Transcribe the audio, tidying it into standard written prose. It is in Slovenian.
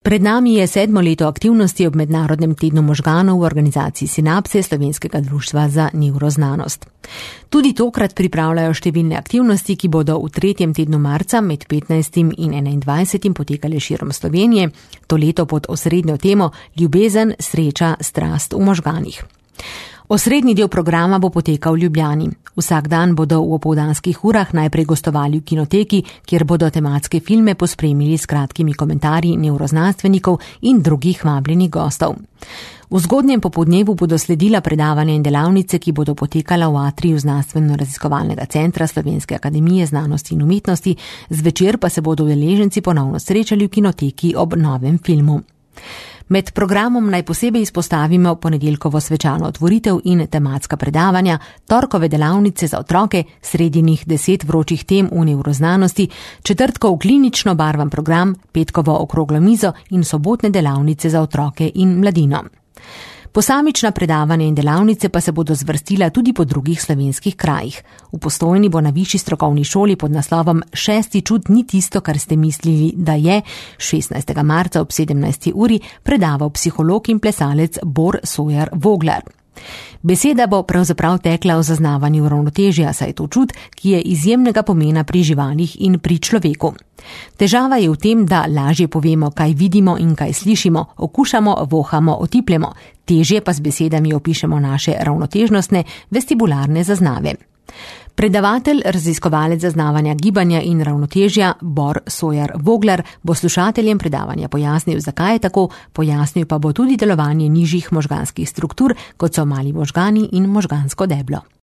Pred nami je 7. leto aktivnosti ob Mednarodnem tednu možganov v organizaciji Sinapse Slovenskega društva za nevroznanost. Tudi tokrat pripravljajo številne aktivnosti, ki bodo v 3. tednu marca med 15. in 21. potekale širom Slovenije, to leto pod osrednjo temo Ljubezen, sreča, strast v možganih. Osrednji del programa bo potekal v Ljubljani. Vsak dan bodo v opoldanskih urah najprej gostovali v kinoteki, kjer bodo tematske filme pospremili s kratkimi komentarji nevroznanstvenikov in drugih vabljenih gostov. V zgodnjem popoldnevu bodo sledila predavanja in delavnice, ki bodo potekala v atriju Znanstveno-raziskovalnega centra Slovenske akademije znanosti in umetnosti, zvečer pa se bodo udeleženci ponovno srečali v kinoteki ob novem filmu. Med programom naj posebej izpostavimo ponedeljkovo svečano otvoritev in tematska predavanja, torkove delavnice za otroke, sredinih 10 vročih tem v nevroznanosti, četrtkov klinično barvan program, petkovo okroglo mizo in sobotne delavnice za otroke in mladino. Posamična predavanja in delavnice pa se bodo zvrstila tudi po drugih slovenskih krajih. V Postojni bo na višji strokovni šoli pod naslovom Šesti čut ni tisto, kar ste mislili, da je, 16. marca ob 17. uri predaval psiholog in plesalec Bor Sojar Voglar. Beseda bo pravzaprav tekla o zaznavanju ravnotežja, saj je to čut, ki je izjemnega pomena pri živalih in pri človeku. Težava je v tem, da lažje povemo, kaj vidimo in kaj slišimo, okušamo, vohamo, otipljemo, težje pa z besedami opišemo naše ravnotežnostne, vestibularne zaznave. Predavatelj, raziskovalec zaznavanja gibanja in ravnotežja Bor Sojar Voglar bo slušateljem predavanja pojasnil, zakaj je tako, pojasnil pa bo tudi delovanje nižjih možganskih struktur, kot so mali možgani in možgansko deblo.